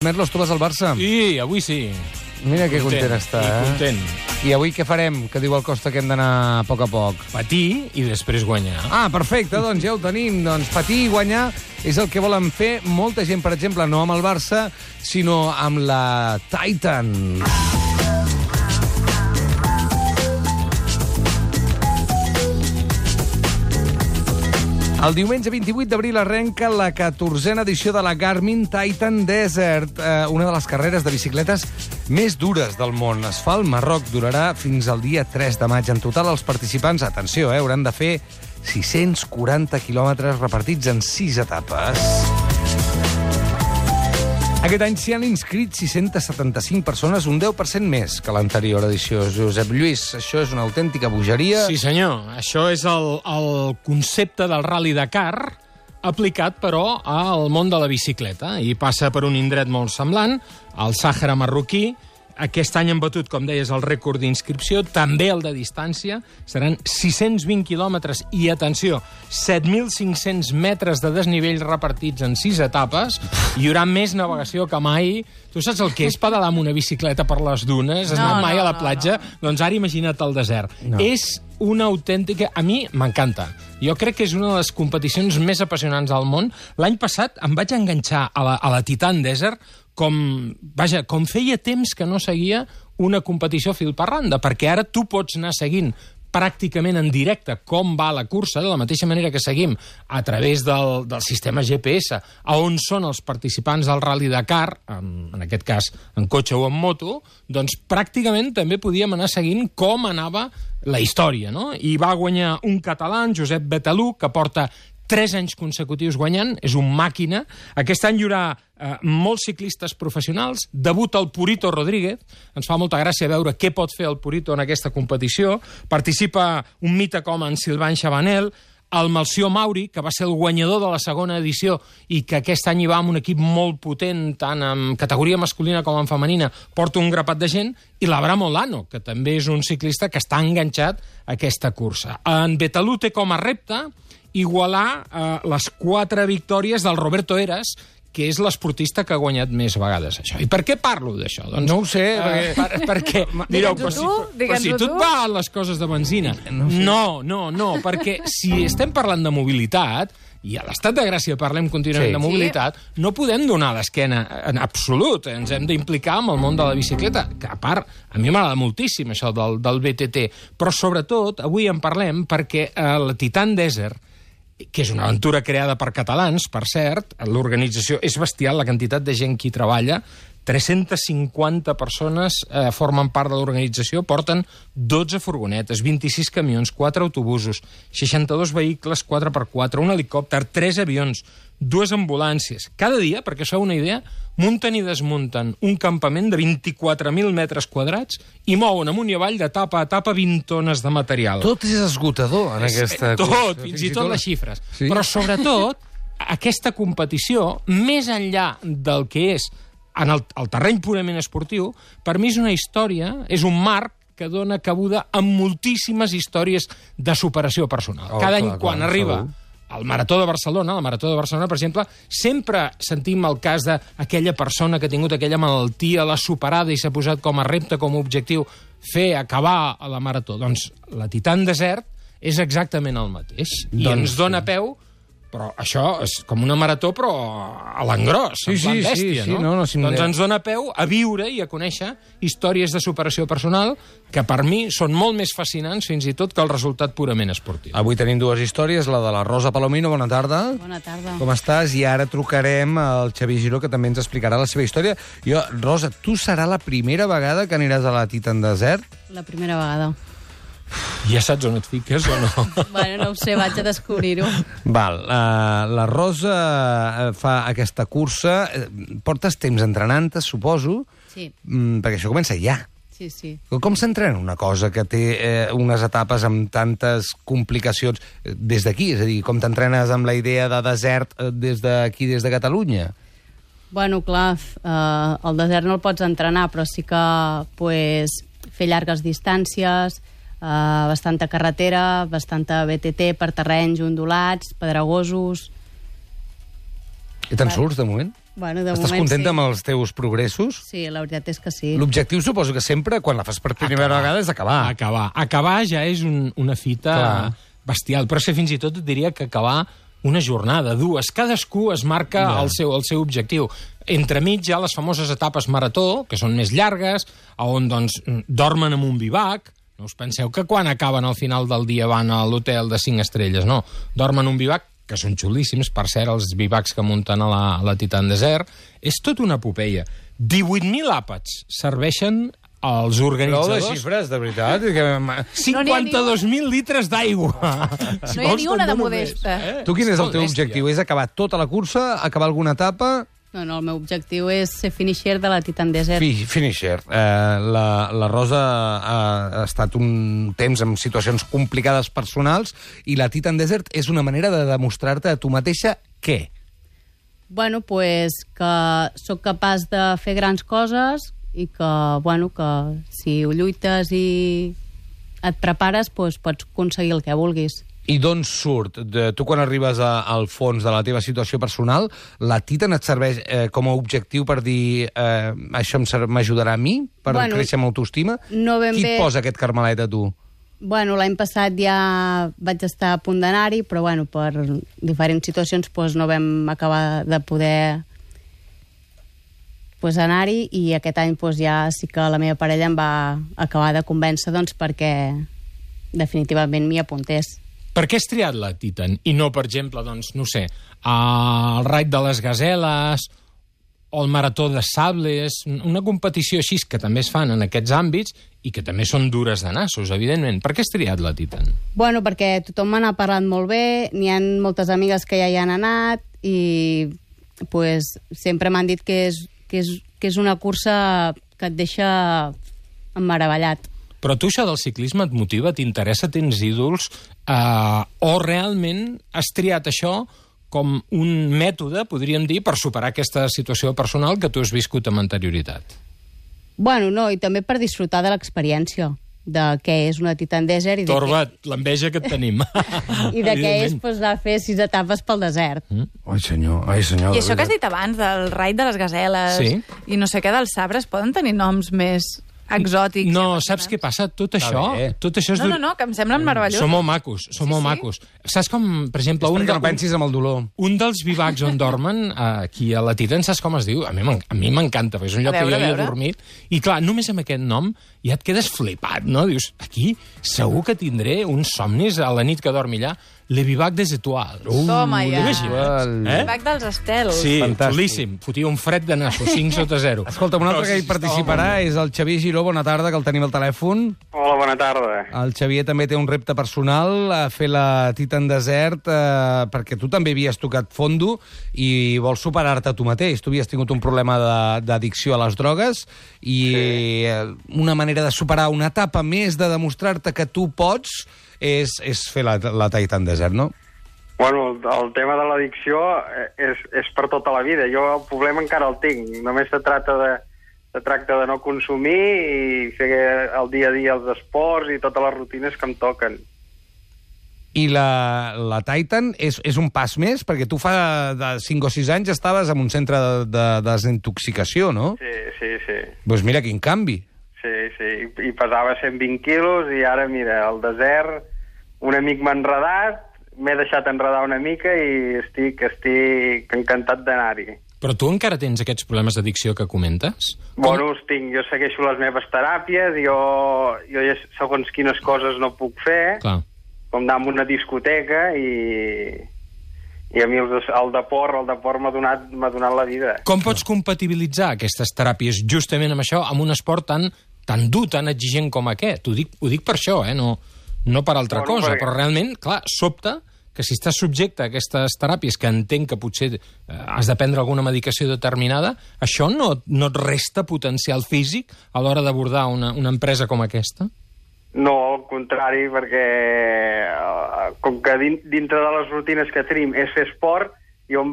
Merlos, tu vas al Barça? Sí, avui sí. Mira que content està, content. I avui què farem? Que diu el Costa que hem d'anar a poc a poc. Patir i després guanyar. Ah, perfecte, doncs ja ho tenim. Doncs patir i guanyar és el que volen fer molta gent, per exemple, no amb el Barça, sinó amb la Titan. El diumenge 28 d'abril arrenca la 14a edició de la Garmin Titan Desert, una de les carreres de bicicletes més dures del món. Es fa al Marroc, durarà fins al dia 3 de maig. En total, els participants, atenció, hauran de fer 640 quilòmetres repartits en 6 etapes. Aquest any s'hi han inscrit 675 persones, un 10% més que l'anterior edició. Josep Lluís, això és una autèntica bogeria. Sí, senyor. Això és el concepte del Rally Dakar aplicat, però, al món de la bicicleta. I passa per un indret molt semblant, el Sàhara marroquí. Aquest any han batut, com deies, el rècord d'inscripció, també el de distància. Seran 620 quilòmetres i, atenció, 7.500 metres de desnivell repartits en 6 etapes. Hi haurà més navegació que mai. Tu saps el que és pedalar amb una bicicleta per les dunes? Has anat mai a la platja? Doncs ara imagina't el desert. És una autèntica... A mi m'encanta. Jo crec que és una de les competicions més apassionants del món. L'any passat em vaig enganxar a la Titan Desert com feia temps que no seguia una competició fil per randa, perquè ara tu pots anar seguint pràcticament en directe com va la cursa, de la mateixa manera que seguim a través del sistema GPS, a on són els participants del Rally Dakar, en aquest cas en cotxe o en moto, doncs pràcticament també podíem anar seguint com anava la història, no? I va guanyar un català, Josep Betalú, que porta 3 anys consecutius guanyant, és un màquina. Aquest any hi haurà molts ciclistes professionals, debuta el Purito Rodríguez, ens fa molta gràcia veure què pot fer el Purito en aquesta competició, participa un mite com en Sylvain Chabanel, el Melcior Mauri, que va ser el guanyador de la segona edició i que aquest any hi va amb un equip molt potent, tant en categoria masculina com en femenina, porta un grapat de gent, i l'Abraham Olano, que també és un ciclista que està enganxat a aquesta cursa. En Betalú té com a repte igualar les 4 victòries del Roberto Eras, que és l'esportista que ha guanyat més vegades això. I per què parlo d'això? Doncs, no ho sé, perquè direu, però si tu et van les coses de benzina. No, perquè si estem parlant de mobilitat, i a l'Estat de Gràcia parlem contínuament de mobilitat, no podem donar l'esquena en absolut. Ens hem d'implicar amb el món de la bicicleta, que a part, a mi m'agrada moltíssim això del BTT, però sobretot avui en parlem perquè la Titan Desert, que és una aventura creada per catalans, per cert, l'organització és bestial, la quantitat de gent que hi treballa, 350 persones formen part de l'organització, porten 12 furgonetes, 26 camions, 4 autobusos, 62 vehicles 4x4, un helicòpter, 3 avions, 2 ambulàncies. Cada dia, perquè us feu una idea, munten i desmunten un campament de 24.000 metres quadrats i mouen amunt i avall d'etapa a etapa 20 tones de material. Tot és esgotador en aquesta cursa. Tot, fins i tot les xifres. Sí. Però sobretot, aquesta competició, més enllà del que és en el terreny purament esportiu, per mi és una història, és un marc que dona cabuda a moltíssimes històries de superació personal. Cada any, quan arriba al Marató de Barcelona, per exemple, sempre sentim el cas d'aquella persona que ha tingut aquella malaltia, l'ha superada i s'ha posat com a repte, com a objectiu, acabar a la Marató. Doncs la Titan Desert és exactament el mateix. I ens dona peu, però això és com una marató, però a l'engròs, en plan bèstia, no? Doncs ens dona peu a viure i a conèixer històries de superació personal que per mi són molt més fascinants fins i tot que el resultat purament esportiu. Avui tenim 2 històries, la de la Rosa Palomino, bona tarda. Bona tarda. Com estàs? I ara trucarem al Xavi Giró, que també ens explicarà la seva història. Rosa, tu serà la primera vegada que aniràs a la Titan Desert? La primera vegada. Ja saps on et fiques o no? Bueno, no ho sé, vaig a descobrir-ho. Val, la Rosa fa aquesta cursa. Portes temps entrenant-te, suposo? Sí. Perquè això comença ja. Sí. Com s'entrena una cosa que té unes etapes amb tantes complicacions des d'aquí? És a dir, com t'entrenes amb la idea de desert des d'aquí, des de Catalunya? Bueno, clar, el desert no el pots entrenar, però sí que fer llargues distàncies, bastanta carretera, bastanta BTT per terrenys ondulats, pedregosos. I te'n surts, de moment? Bueno, de Estàs moment contenta sí. amb els teus progressos? Sí, la veritat és que sí. L'objectiu suposo que sempre, quan la fas per primera vegada, és acabar. Acabar ja és una fita bestial, però és que fins i tot et diria que acabar una jornada, dues. Cadascú es marca el seu objectiu. Entremig hi ha les famoses etapes marató, que són més llargues, on doncs, dormen en un bivac. No us penseu que quan acaben al final del dia van a l'hotel de 5 estrelles, no. Dormen en un bivac, que són xulíssims, per cert, els bivacs que munten a la Titan Desert. És tot una epopeia. 18.000 àpats serveixen als organitzadors... Prou de xifres, de veritat. 52.000 litres d'aigua. No hi ha ni una de modesta. Tu quin és el teu objectiu? És acabar tota la cursa? Acabar alguna etapa? No, el meu objectiu és ser finisher de la Titan Desert. Finisher. La Rosa ha estat un temps en situacions complicades personals i la Titan Desert és una manera de demostrar-te a tu mateixa què? Bueno, pues que sóc capaç de fer grans coses i que, bueno, que si ho lluites i et prepares, pues pots aconseguir el que vulguis. I d'on surt? Tu, quan arribes al fons de la teva situació personal, la Titan et serveix com a objectiu per dir això m'ajudarà a mi, per créixer amb autoestima? No ben Qui bé... et posa aquest carmelet a tu? Bueno, l'any passat ja vaig estar a punt d'anar-hi, però bueno, per diferents situacions pues, no vam acabar de poder pues, anar-hi, i aquest any pues, ja sí que la meva parella em va acabar de convèncer doncs, perquè definitivament m'hi apuntés. Per què has triat la Titan i no, per exemple, doncs, no sé, el Raid de les Gaseles o el Marató de Sables, una competició així que també es fan en aquests àmbits i que també són dures de nassos, evidentment. Per què has triat la Titan? Bueno, perquè tothom me n'ha parlat molt bé, n'hi ha moltes amigues que ja hi han anat i pues, sempre m'han dit que és una cursa que et deixa emmeravellat. Però tu això del ciclisme et motiva, t'interessa, tens ídols, o realment has triat això com un mètode, podríem dir, per superar aquesta situació personal que tu has viscut amb anterioritat? Bueno, no, i també per disfrutar de l'experiència de què és una Titan Desert. Torba, l'enveja que et tenim. I de què és pues, de fer 6 etapes pel desert. Ai, senyor. I això que has dit abans, del Raid de les Gaseles i no sé què dels sabres, poden tenir noms més exòtics? No, saps què passa? Tot això és... No, que em semblen meravellosos. Són molt macos, macos. Saps com, per exemple... perquè no pensis amb el dolor. Un dels bivacs on dormen, aquí a la Titan, saps com es diu? A mi m'encanta, perquè és un lloc que jo hi he dormit. I clar, només amb aquest nom ja et quedes flipat, no? Dius, aquí segur que tindré uns somnis a la nit que dormi allà. Le Bivac des Étoiles. Toma, ja. El Bivac dels estels. Sí, xulíssim. Fotia un fred de nassos, 5/0. Escolta, un altre que hi participarà és el Xavier Giró. Bona tarda, que el tenim al telèfon. Hola, bona tarda. El Xavier també té un repte personal, a fer la Titan Desert, perquè tu també havies tocat fondo i vols superar-te a tu mateix. Tu havies tingut un problema d'addicció a les drogues i una manera de superar una etapa més, de demostrar-te que tu pots, és fer la Titan Desert, no? Bueno, el tema de l'addicció és per tota la vida. Jo el problema encara el tinc. Només se tracta de no consumir i fer el dia a dia els esports i totes les rutines que em toquen. I la Titan és un pas més? Perquè tu fa 5 o 6 anys estaves en un centre de desintoxicació, no? Sí. Doncs mira quin canvi. Sí, i pesava 120 quilos i ara, mira, al desert un amic m'ha enredat, m'he deixat enredar una mica i estic encantat d'anar-hi. Però tu encara tens aquests problemes d'addicció que comentes? Bueno, els tinc. Jo segueixo les meves teràpies, jo ja segons quines coses no puc fer, com anar a una discoteca i a mi el deport m'ha donat la vida. Com pots compatibilitzar aquestes teràpies justament amb això, amb un esport tan dur, tan exigent com aquest? Ho dic per això, no per altra cosa, però realment, clar, sobta que si estàs subjecte a aquestes teràpies, que entenc que potser has de prendre alguna medicació determinada, això no et resta potencial físic a l'hora d'abordar una empresa com aquesta? No, al contrari, perquè com que dintre de les rutines que tenim és fer esport, jo em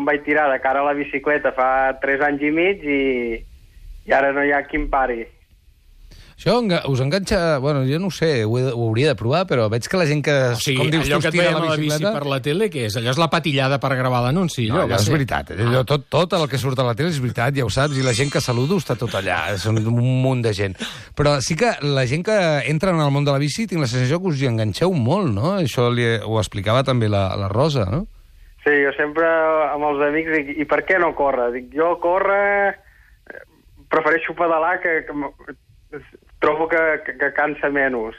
vaig tirar de cara a la bicicleta fa 3 anys i mig i ara no hi ha qui em pari. Això us enganxa... Bueno, jo no ho sé, ho hauria de provar, però veig que la gent que... O sigui, com dius, allò que et veiem a la bici bicicleta... per la tele, què és? Allò és la patillada per gravar l'anunci. No, allò és veritat. Allò, tot el que surt a la tele és veritat, ja ho saps, i la gent que saludo està tot allà. Són un munt de gent. Però sí que la gent que entra en el món de la bici tinc la sensació que us hi enganxeu molt, no? Això ho explicava també la Rosa, no? Sí, jo sempre amb els amics dic, i per què no córrer? Dic, jo córrer... Prefereixo pedalar que trobo que cansa menys.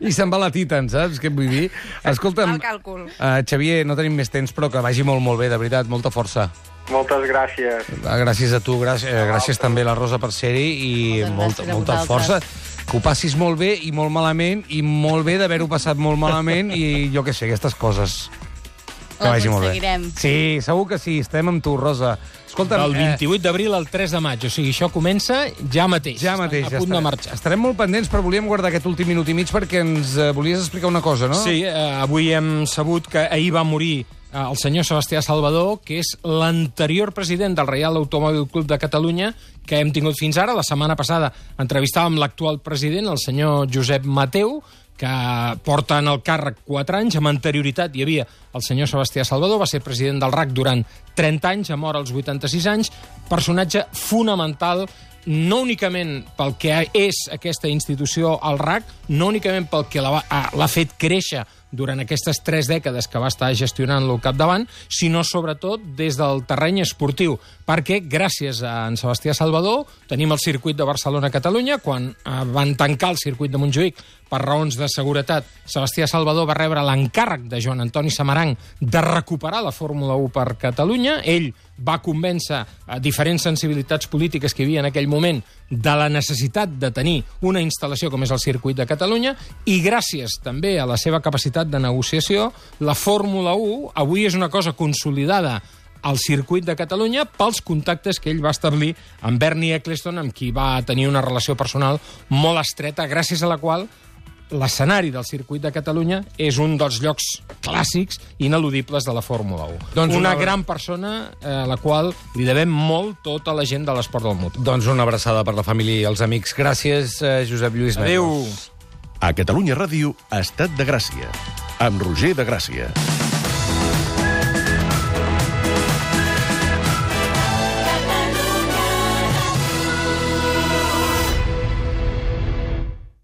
I se'n va la Titan, saps què vull dir? Escolta'm, Mal càlcul. Xavier, no tenim més temps, però que vagi molt, molt bé, de veritat, molta força. Moltes gràcies. Gràcies a tu, gràcies també a la Rosa per ser-hi i molta força. Que ho passis molt bé i molt malament, i molt bé d'haver-ho passat molt malament, i jo què sé, aquestes coses. Que vagi molt bé. Sí, segur que sí, estem amb tu, Rosa. Escolta'm, del 28 d'abril al 3 de maig, o sigui, això comença ja mateix. Ja mateix, a punt de marxar. Estarem molt pendents, però volíem guardar aquest últim minut i mig perquè ens volies explicar una cosa, no? Sí, avui hem sabut que ahir va morir el senyor Sebastià Salvador, que és l'anterior president del Reial Automòbil Club de Catalunya, que hem tingut fins ara. La setmana passada entrevistàvem l'actual president, el senyor Josep Mateu, que porta en el càrrec 4 anys. Amb anterioritat hi havia el senyor Sebastià Salvador, va ser president del RAC durant 30 anys, mort als 86 anys, personatge fonamental, no únicament pel que és aquesta institució, el RAC, no únicament pel que l'ha fet créixer durant aquestes 3 dècades que va estar gestionant-lo al capdavant, sinó sobretot des del terreny esportiu, perquè gràcies a en Sebastià Salvador tenim el circuit de Barcelona-Catalunya. Quan van tancar el circuit de Montjuïc per raons de seguretat, Sebastià Salvador va rebre l'encàrrec de Joan Antoni Samaranch de recuperar la Fórmula 1 per Catalunya. Ell va convèncer a diferents sensibilitats polítiques que hi havia en aquell moment de la necessitat de tenir una instal·lació com és el circuit de Catalunya, i gràcies també a la seva capacitat de negociació, la Fórmula 1 avui és una cosa consolidada al circuit de Catalunya pels contactes que ell va establir amb Bernie Ecclestone, amb qui va tenir una relació personal molt estreta, gràcies a la qual l'escenari del circuit de Catalunya és un dels llocs clàssics ineludibles de la Fórmula 1. Doncs una gran persona a la qual li devem molt tota la gent de l'esport del motor. Doncs una abraçada per la família i els amics. Gràcies, Josep Lluís Merlos. Adéu. A Catalunya Ràdio, Estat de Gràcia, amb Roger de Gràcia.